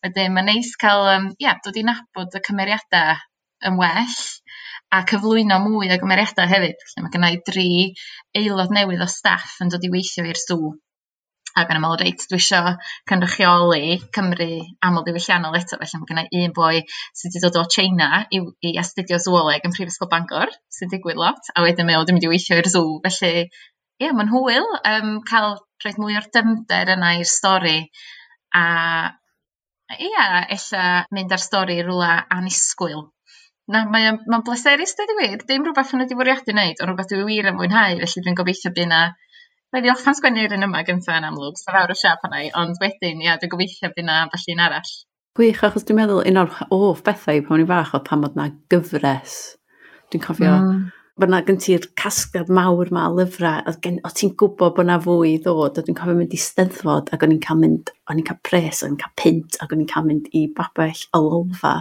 Wedyn mae'n neis cael dod i nabod y cymeriadau yn well a cyflwyno mwy o gymeriadau hefyd. Felly mae gynna i 3 aelod newydd o staff yn dod i weithio i'r sŵ. Ac o'n i'n meddwl, reit, dwi isio cynrychioli Cymru amlddiwylliannol eto, felly mae gynna i un boi sydd wedi dod o China i astudio zooleg yn Prifysgol Bangor, sy'n digwydd lot, a wedyn mae o wedi mynd i weithio i'r sŵ. Felly, ie, mae'n hwyl cael rhoi mwy o'r dyfnder yna i'r stori, a ia, ella mynd â'r stori i rywle annisgwyl. Na, mae'n bleserus, dweud y gwir. Dim rhywbeth o'n i wedi bwriadu wneud, ond rhywbeth dwi wir yn fwynhau, felly dwi'n gobeithio bydd 'na... Rhaid i orffen sgwennu'r un yma gyntaf yn amlwg, so fawr o siap arna i, ond wedyn, ia, dwi'n gobeithio bydd 'na ambell un arall. Gwych, achos dwi'n meddwl un o'r hoff bethau pan o'n i'n fach oedd pan oedd 'na gyfres. Dwi'n cofio bod 'na gen ti'r casgliad mawr 'ma o lyfrau, oedd ti'n gwybod bod 'na fwy i ddod, a dwi'n cofio mynd i Steddfod ac o'n i'n cael mynd, o'n i'n cael pres, o'n i'n cael punt, ac o'n i'n cael mynd i babell y Lolfa,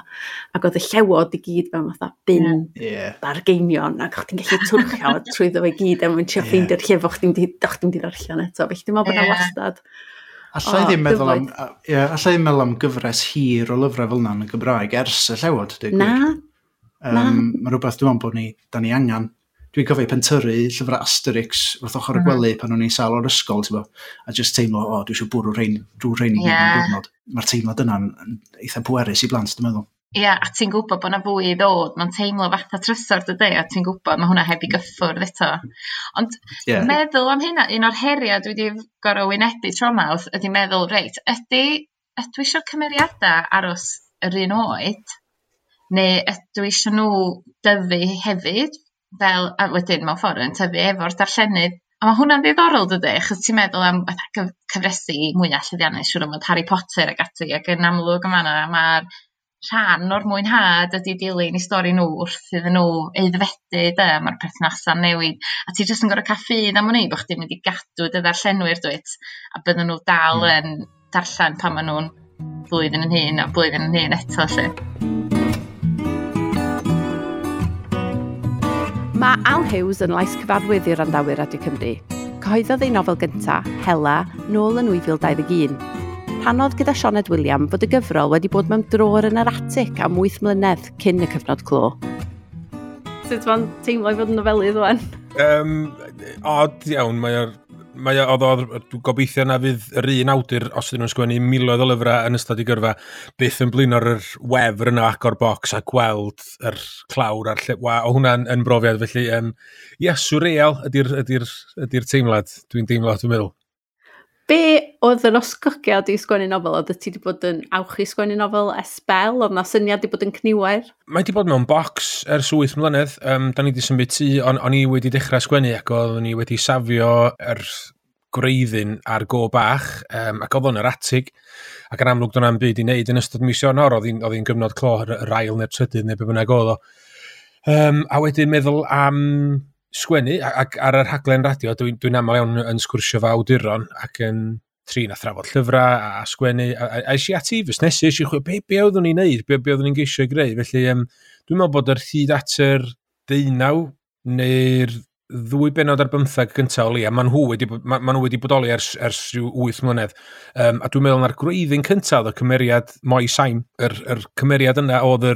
ac oedd y llewod i gyd mewn fatha bin bargeinion, ac o'ch ti'n gallu twrchio trwyddo fo i gyd, a mwyn trio ffeindio'r lle fo chdi'n di ddarllen eto. Felly dwi'n meddwl bod 'na wastad Alla i ddim meddwl am, yeah, alla i ddim meddwl am gyfres hir o lyfrau fel yna yn y Gymraeg ers y Llewod, dweud gwir. Na. Na. Mae rhywbeth dwi'n meddwl bod ni, da ni angen. Dwi'n cofio pentyrru llyfrau Asterix wrth ochr y gwely pan o'n i'n sâl o'r ysgol, ti'n bo, a just teimlo, o, dwi eisiau bwrw rhain, drwy rhain i gyd mewn diwrnod. Mae'r teimlad yna'n eitha pwerus i blant, dwi'n meddwl. Ia, a ti'n gwybod bod 'na fwy i ddod, mae'n teimlo fatha trysor dydy, a ti'n gwybod mae hwnna heb i gyffwrdd eto. Ond meddwl am hynna, un o'r heriau dwi wedi gorfod wynebu tro 'ma ydy meddwl, reit, ydy, ydw i eisiau'r cymeriadau aros yr un oed, neu ydw i eisiau nhw dyfu hefyd, fel, a wedyn mewn ffordd yn tyfu efo'r darllenydd. A mae hwnna'n ddiddorol dydy, achos ti'n meddwl am fatha cyfresi mwyaf llwyddiannus, siŵr o fod Harry Potter ac ati, ac yn amlwg yma mae'r rhan o'r mwynhad ydy dilyn i stori nhw wrth iddyn nhw aeddfedu de, mae'r perthnasa'n newid, a ti jyst yn gorfod cael ffydd am hynny bod chdi'n mynd i gadw dy ddarllenwyr dwyt, a bydden nhw dal yn darllen pan maen nhw'n blwyddyn yn hŷn a blwyddyn yn hŷn eto 'lly. Mae Al Hughes yn lais cyfarwydd i wrandawyr Radio Cymru. Cyhoeddodd ei nofel gyntaf, Hela, nôl yn 2021. Rhannodd gyda Sioned William fod y gyfrol wedi bod mewn drôr yn yr atig am 8 mlynedd cyn y cyfnod clo. Sut mae'n teimlo i fod yn nofelydd wan? Od iawn, mae o'r mae o, oedd, dwi'n gobeithio na fydd yr un awdur, os ydyn nhw'n sgwennu miloedd o lyfrau yn ystod i gyrfa, byth yn blino'r yr wefr yna agor bocs a gweld yr clawr a'r lle. Wa, o hwnna'n yn brofiad, felly, ia, surreal ydy'r ydy ydy teimlad, dwi'n teimlo, dwi'n meddwl. Be oedd yr osgogiad i sgwennu nofel? Oedd ti wedi bod yn awchu sgwennu nofel ers sbel? Oedd na syniad wedi bod yn cniwer? Mae wedi bod mewn bocs ers 8 mlynedd. Da ni wedi symud tŷ, o'n i wedi dechrau sgwennu ac oeddwn i wedi safio yr gwreiddyn ar go bach, ac oedd o'n yr atig, ac yn amlwg do'n na'm byd i wneud yn ystod mis Ionawr, oedd hi'n gyfnod clo, yr ail neu'r trydydd neu be bynnag oedd o. A wedyn meddwl am sgwennu, ac ar y rhaglen radio, dwi'n dwi aml iawn yn sgwrsio fo awduron ac yn trin a thrafod llyfrau a sgwennu, a es i ati i fusnesu, es i chwilio, be oeddwn i'n neud, be oeddwn i'n geisio i greu, felly dwi'n meddwl bod yr hyd at yr 19 neu'r 2 bennod ar 15 gyntaf o leia, maen nhw wedi, ma nhw wedi bodoli ers rhyw 8 mlynedd. A dwi'n meddwl na'r gwreiddyn cyntaf oedd y cymeriad Moi Saim, yr cymeriad yna oedd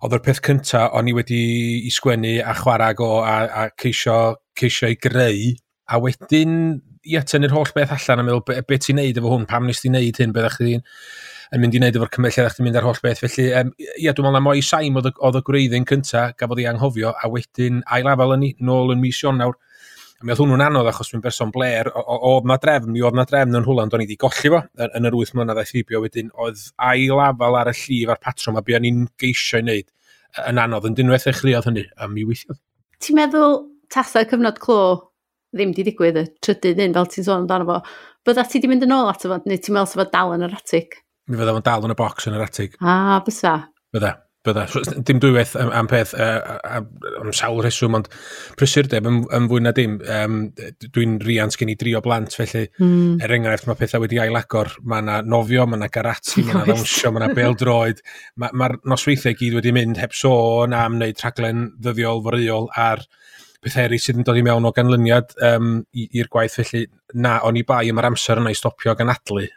yr peth cyntaf o'n i wedi i sgwennu a chwarae go a ceisio i greu, a wedyn ia, tynnu'r holl beth allan a meddwl be ti'n neud efo hwn, pam nes ti'n neud hyn, be ddech chi'n yn mynd i wneud efo'r cymeriad, lle ddech chi'n mynd ar holl beth. Felly, ia, dwi'n meddwl na Moi Saim oedd y gwreiddyn cyntaf gafodd ei anghofio, a wedyn ail-afal yn ni, nôl yn mis Ionawr. A mi oedd hwnnw'n anodd achos dwi'n berson bler, oedd na drefn, mi oedd na drefn yn rhywle, ond o'n i wedi golli fo yn yr 8 mlynedd aeth heibio. Wedyn oedd ail-afal ar y llif a'r patrwm a be o'n i'n geisio i wneud yn anodd, yn unwaith ddechreuodd hynny, a mi weithiodd. Ti'n meddwl tasa'r cyfnod clo ddim di digwydd y trydydd un, fel ti'n sôn amdano fo, bydda ti di mynd yn ôl ato fo, neu ti'n meddwl sa fo dal yn yr atig? Mi fydda fo'n dal yn y bocs yn yr atig. Ah, bysa. Bydda. Dim dwywaith am peth, am sawl rheswm, ond prysurdeb yn fwy na dim. Dwi'n riant gen i 3 o blant, felly er enghraifft mae pethau wedi ailagor. Mae yna nofio, mae yna garati, mae yna ddawnsio, mae yna bêl-droed. Mae'r nosweithiau gyd wedi mynd heb sôn am wneud rhaglen ddyddiol foreuol ar pethau eraill sydd yn dod i mewn o ganlyniad i'r gwaith. Felly na, o'n i bai am yr amser yna i stopio ac anadlu.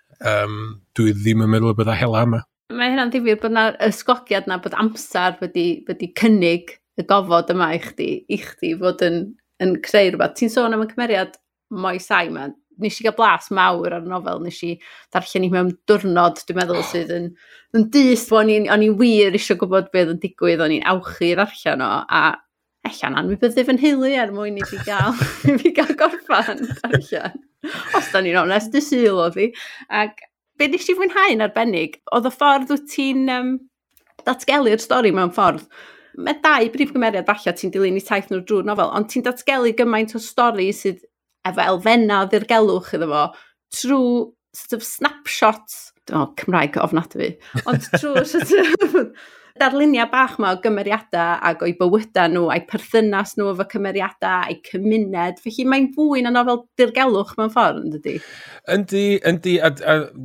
Dwi ddim yn meddwl y bydda hela yma. Mae hynna'n ddifyr bod 'na ysgogiad na bod amser wedi cynnig y gofod yma i chdi fod yn creu rhywbeth. Ti'n sôn am y cymeriad Moi Saim, nes i gael blas mawr ar y nofel, nes i ddarllen i mewn diwrnod, dwi'n meddwl, sydd yn dyst, o'n i wir eisiau gwybod beth yn digwydd, o'n i'n awchu ddarllen o, a ella'n anwybyddu fy nheulu er mwyn i fi gael, i fi gael gorffan darllen. Os da ni'n onest, dy Sul oedd hi. Ac be nes i fwynhau'n arbennig, oedd y ffordd wyt ti'n datgelu'r stori mewn ffordd. Mae 2 brif gymeriad falle ti'n dilyn i taith nhw drwy'r nofel, ond ti'n datgelu gymaint o stori sydd efo elfennau o ddirgelwch iddo fo, trwy sort of snapshots, Cymraeg ofnadwy, ond trwy sort of darluniau bach ma o gymeriadau ac o'i bywydau nhw, a'i perthynas nhw efo cymeriadau, a'i cymuned. Felly mae'n fwy na nofel dirgelwch mewn ffordd, yn dydi? Yndi, a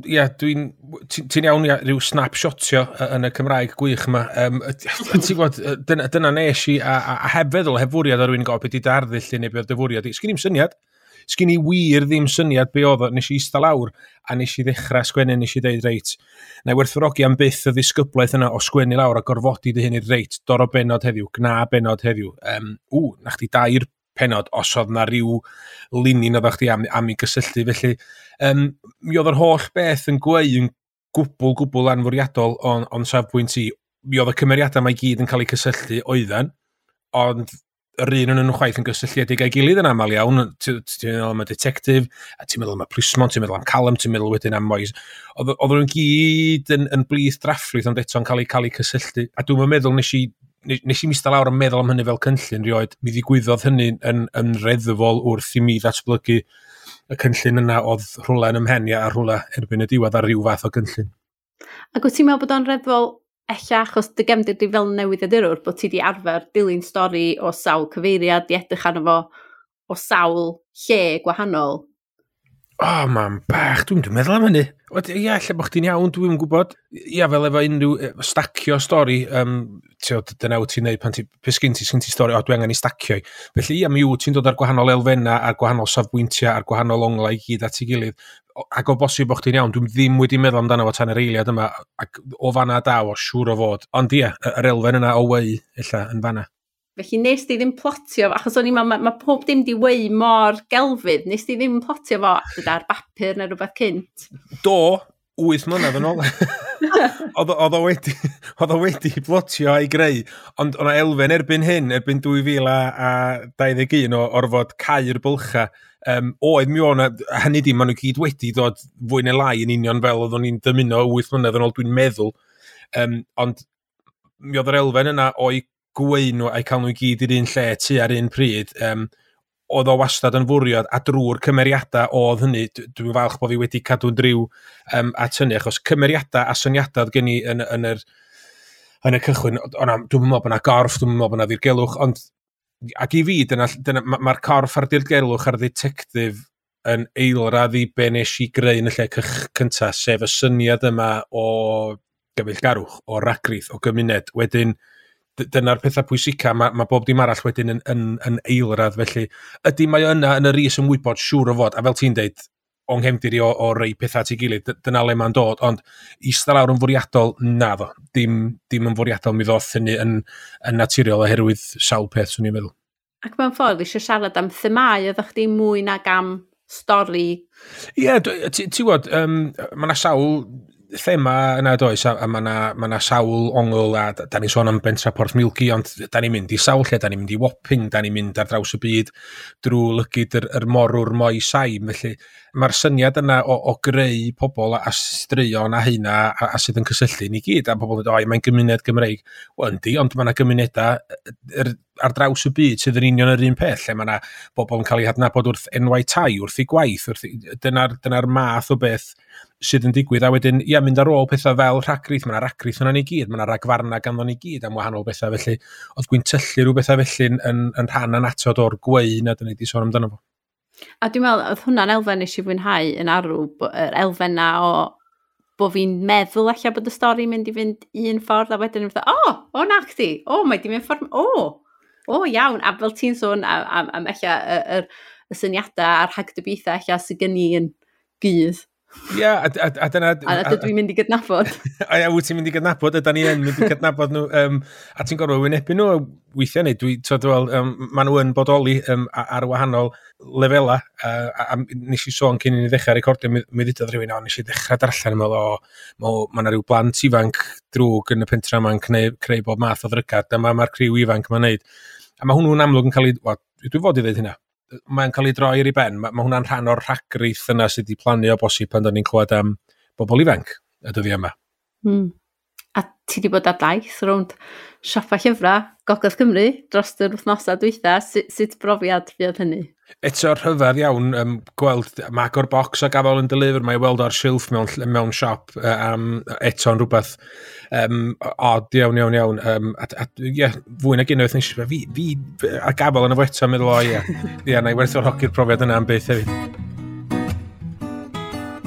ia, ti'n iawn, ia, rhyw snapshotio yn y Cymraeg gwych yma. Ti'n gwybod, dyna nes i, a heb feddwl, heb fwriad ar rywun gofyn beth i dy arddull neu beth dy fwriad i. Sgyn i'm syniad. Sgyn i wir ddim syniad be oedd o, nes i eista lawr a nes i ddechrau sgwennu, nes i ddeud reit, na i werthfawrogi am byth y ddisgyblaeth yna o sgwennu lawr a gorfodi dy hun i reit, doro benod heddiw, gna benod heddiw. Na chdi 2 penod os oedd na ryw linyn oeddach chdi am i gysylltu. Felly, mi oedd yr holl beth yn gweu yn gwbl anfwriadol o'n safbwynt i. Mi oedd y cymeriadau mae gyd yn cael eu cysylltu oedden, ond yr un yn nhw chwaith yn gysylltiedig â'i gilydd yn aml iawn. Ti'n meddwl am y detective, a ti'n meddwl am y plismon, ti'n meddwl am Callum, ti'n meddwl wedyn am Moise. Oedd nhw'n gyd yn blith drafflwyth, ond eto'n cael eu cysylltu. A dwi'n meddwl nes i mista lawr yn meddwl am hynny fel cynllun rioed. Mi ddigwyddodd hynny yn reddfol wrth i mi ddatblygu y cynllun yna oedd rhywle yn ymhen a rhywle erbyn y diwedd ar ryw fath o gynllun. Ac wyt ti'n meddwl bod o'n reddfol ella achos dy gefndir di fel newyddiadurwr, bod ti di arfer dilyn stori o sawl cyfeiriad, di edrych arno fo o sawl lle gwahanol? O, mam bach, dwi'n meddwl am hynny. Ia, lle bod chdi'n iawn, dwi'n gwybod. Ia, fel efo unrhyw stacio stori, dyna wyt ti'n neud pan ti, sgyn ti stori, o, dwi angen i stacio i. Felly, ia, mi wyt ti'n dod ar gwahanol elfennau, ar gwahanol safbwyntiau, ar gwahanol onglau i gyd at ei gilydd. Ac o bosib bod chdi'n iawn, dwi'n ddim wedi meddwl amdano fo tan yr eiliad yma, ac o fanna daw, o siŵr o fod. Ond ia, yr elfen yna o weu, ella, yn fanna. Felly nes di ddim plotio, achos o'n i'n meddwl, mae pob dim di weu mor gelfydd, nes di ddim plotio fo ar bapur neu rhywbeth cynt? Do, 8 mlynedd yn ôl. Oedd o wedi plotio a'i greu, ond o'na elfen erbyn hyn, erbyn 2021 o orfod cau'r bylcha, oedd mi o'na, hynny di, maen nhw gyd wedi dod fwy neu lai yn union fel oeddwn ni'n dymuno 8 mlynedd yn ôl, dwi'n meddwl. Ond mi oedd yr elfen yna o'i gweu nhw a'i cael nhw i gyd i'r un lle tu ar un pryd, oedd o wastad yn fwriad a drwy'r cymeriadau oedd hynny, dwi'n falch bod fi wedi cadw'n driw at hynny, achos cymeriadau a syniadau oedd gen i yn y cychwyn, dwi'n meddwl bod yna gorff, dwi'n meddwl bod yna ddirgelwch, ond ac i fi, dyna mae'r corff a'r dirgelwch a'r detective yn eilradd i be nes i greu yn y lle cyntaf, sef y syniad yma o gyfeillgarwch, o ragrith, o gymuned. Wedyn, dyna'r pethau pwysica, mae bob dim arall wedyn yn eilradd, felly ydy mae yna yn yr is ymwybod siŵr o fod, a fel ti'n deud, o'n nghefndir i o rei pethau at ei gilydd, dyna le mae'n dod, ond eistedd lawr yn fwriadol, naddo, dim yn fwriadol, mi ddoth hynny yn naturiol oherwydd sawl peth, swn i'n meddwl. Ac mewn ffordd, eisiau siarad am themâu, oeddech chdi mwy nag am stori? Ie, ti'n gwybod, mae yna sawl thema yna does, a mae yna sawl ongl, a da ni'n sôn am bentra Porth Milgi, ond da ni'n mynd i sawl lle, da ni'n mynd i Wapping, da ni'n mynd ar draws y byd drwy lygid yr morwr moi saim, felly mae'r syniad yna o greu pobl a straeon a hynna a sydd yn cysylltu ni gyd, a pobl yn dweud, mae'n gymuned Gymreig. Wel, yndi, ond mae yna gymunedau ar draws y byd sydd yn union yr un peth, lle mae yna bobl yn cael eu hadnabod wrth enwau tai, wrth eu gwaith, dyna'r math o beth sydd yn digwydd, a wedyn, ia, mynd ar ôl pethau fel rhagrith, mae yna ragrith yna ni gyd, mae yna ragfarna ganddo ni gyd am wahanol bethau, felly oedd gwyntyllu rhyw bethau felly yn rhan annatod o'r gweu na dyna ni wedi sôn amdano fo. A dwi'n meddwl, oedd hwnna'n elfen nes i fwynhau yn arw, yr elfen na o bod fi'n meddwl ella bod y stori mynd i fynd un ffordd, a wedyn yn fatha, o, na chdi, o, mae di mynd ffordd, o, iawn, a fel ti'n sôn am ella y syniadau a'r rhagdybiaethau ella sydd gen i yn gudd. Ia, a dyna... A dydw i'n mynd i gydnabod. A ia, wyt ti'n mynd i gydnabod, ydan ni yn mynd i gydnabod nhw, a ti'n gorfod wynebu nhw weithiau neu, maen nhw yn bodoli ar wahanol lefelau, a nes i sôn cyn i ni ddechrau recordio, mi ddudodd rhywun, o, nes i ddechrau darllen, yn meddwl, o, mae yna rhyw blant ifanc drwg yn y pentra yma'n creu bob math o ddrygad, dyma mae'r criw ifanc yma'n neud. A mae hwnnw'n amlwg yn cael ei, wel, dwi fod i ddeud hynna, mae'n cael ei droi ar ei ben. Mae hwnna'n rhan o'r rhagrith yna sydd wedi plannu o bosib pan da ni'n clywed am bobl ifanc y dyddiau yma. Mm. A ti wedi bod ar daith rownd siopa llyfrau Gogledd Cymru dros yr wythnosau dwytha. Sut brofiad fuodd hynny? Eto rhyfedd iawn, gweld mae agor bocs a gafel yn deliver, mae weld ar silff mewn siop, eto'n rhywbeth odd iawn. Ie, fwy nag unwaith nes i, fi a gafel yn efo eto, meddwl, o ie, ie, na i werthfawrogi'r profiad yna am byth hefyd.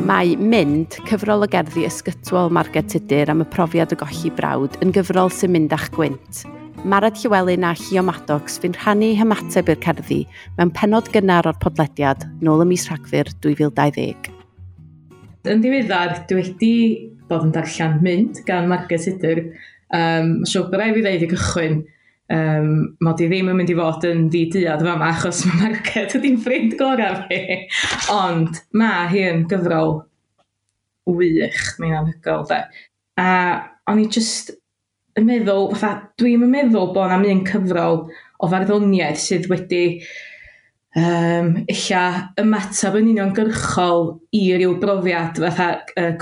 Mae Mynd, cyfrol o gerddi ysgytwol Marged Tudur am y profiad o golli brawd, yn gyfrol sy'n mynd â'ch gwynt. Marad Llywelyn a Llio Maddox fu'n rhannu hymateb i'r cerddi mewn pennod gynnar o'r podlediad nôl ym mis Rhagfyr 2020. Yn ddiweddar, dwi wedi bod yn darllen Mynd gan Margaret Tudur. Siwr bod rhaid fi ddeud i gychwyn, mod i ddim yn mynd i fod yn ddi-duad fama achos mae Margaret ydy'n ffrind gorau fi. Ond mae hi yn gyfrol wych, mae'n anhygoel de. A o'n i just yn meddwl, fatha, dwi'm yn meddwl bod 'na'm un cyfrol o farddoniaeth sydd wedi ella ymateb yn uniongyrchol i ryw brofiad fatha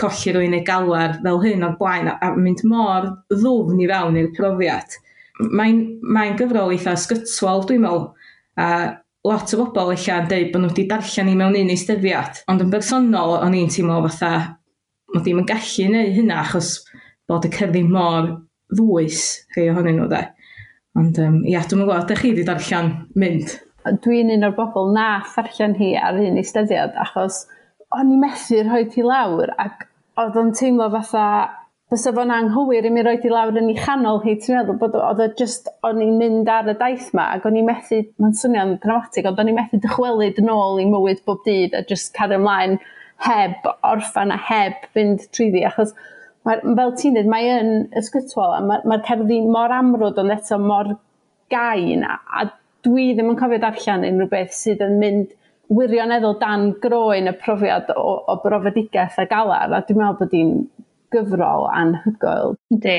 colli rywun neu galar fel hyn o'r blaen a mynd mor ddwfn i fewn i'r profiad. Mae'n gyfrol eitha ysgytwol dwi'n meddwl, a lot o bobl ella yn deud bod nhw wedi darllen hi mewn un eisteddiad, ond yn bersonol o'n i'n teimlo fatha mod i'm yn gallu neud hynna achos bod y cerddi mor ddwys rhai ohonyn nhw de. Ond ia, dwi'm yn gwybod, ydych chi wedi darllen Mynd? Dwi'n un o'r bobl nath ddarllen hi ar un eisteddiad achos o'n i methu rhoi hi lawr ac oedd o'n teimlo fatha bysa fo'n anghywir i mi roi hi lawr yn ei chanol hi, ti'n meddwl bod oedd o just, o'n i'n mynd ar y daith ma ac o'n i'n methu, mae'n swnio'n dramatig, ond o'n i'n methu dychwelyd yn ôl i mywyd bob dydd a just cario ymlaen heb orffan a heb fynd trwyddi, achos mae, fel ti'n dweud, mae yn ysgytwol a mae'r cerddi mor amrwd ond eto mor gain a dwi ddim yn cofio darllen unrhyw beth sydd yn mynd wirioneddol dan groen y profiad o brofedigaeth a galar, a dwi'n meddwl bod hi'n gyfrol anhygoel. Yndi,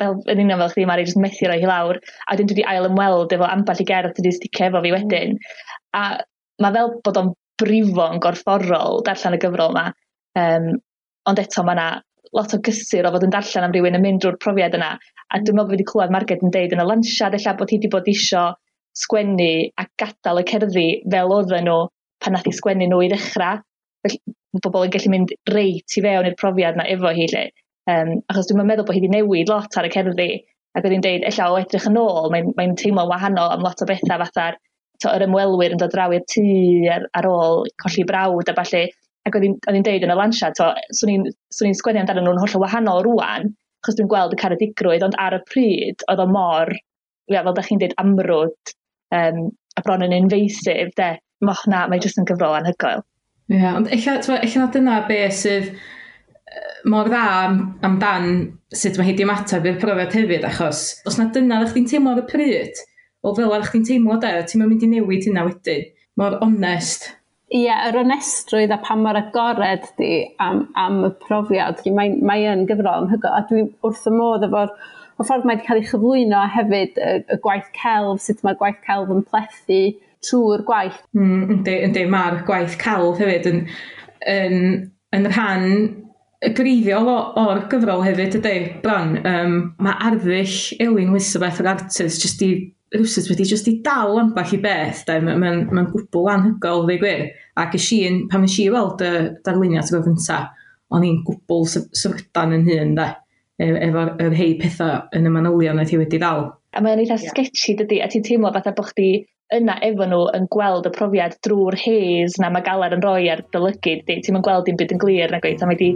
fel yn union fel chdi Mari, jyst methu roi hi lawr, a dyn dwi wedi ail ymweld efo ambell i gerdd dwi wedi sticio efo fi wedyn. A mae fel bod o'n brifo'n gorfforol darllen y gyfrol yma, ond eto mae yna lot o gysur o fod yn darllen am rywun yn mynd drwy'r profiad yna, a dwi'n meddwl bod fi wedi clywed Marged yn deud yn y lansiad ella bod hi wedi bod isio sgwennu a gadael y cerddi fel oedden nhw pan nath hi sgwennu nhw i ddechrau. Felly mae bobl yn gallu mynd reit i fewn i'r profiad yna efo hi. Lle. Achos dwi'n meddwl bod hi wedi newid lot ar y cerddi, ac oedd hi'n deud ella o edrych yn ôl, mae'n teimlo'n wahanol am lot o bethau fatha'r yr ymwelwyr yn dod draw i'r tŷ ar ôl colli brawd a ballu. Ac oedd hi'n deud yn y lansiad, swn i'n sgwennu amdano nhw'n hollol wahanol rŵan, achos dwi'n gweld y caredigrwydd, ond ar y pryd oedd o mor, ia, fel da chi'n deud, amrwd, a bron yn invasive, de. Mae jyst yn gyfrol anhygoel. Ie, yeah, ond ella na dyna be sydd mor dda amdan sut mae hi 'di ymateb i'r profiad hefyd, achos os na dyna ddech chdi'n teimlo ar y pryd, o fel ar chdi'n teimlo de, ti'n mynd i newid hynna wedyn. Mor onest. Ie, yr onestrwydd a pa mor agored di am y profiad. Mae yn gyfrol anhygoel, a dwi wrth y modd efo'r y ffordd mae wedi cael ei chyflwyno a hefyd y gwaith celf, sut mae'r gwaith celf yn plethu trwy'r gwaith. Yndi, mae'r gwaith celf hefyd yn rhan greiddiol o'r gyfrol hefyd, ydy, bron. Mae arddull Elin Elizabeth, yr artist, jyst i rywsut wedi jyst i dal ambell i beth, de. Mae'n gwbl anhygoel, ddeud gwir. Ac pan nes i weld y darluniad tro gynta, o'n i'n gwbl syfrdan yn hun, de, efo'r rhai pethau yn y manylion oedd hi wedi dal. A mae'n eitha sketchy, dydy, a ti'n teimlo fatha bod chdi yna efo nhw yn gweld y profiad drwy'r haze na mae galar yn rhoi ar dy lygid, di. Ti'm yn gweld dim byd yn glir na gweith, a mae di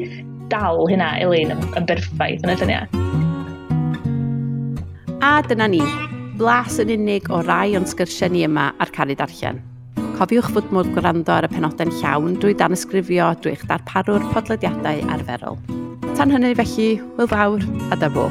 dal hynna, Elin, yn berffaith yn y lluniau. A dyna ni, blas yn unig o rai o'n sgyrsiau ni yma ar Caru Darllen. Cofiwch fod modd gwrando ar y penodau'n llawn drwy danysgrifio drwy eich darparwr podlediadau arferol. Tan hynny felly, hwyl fawr a da bo.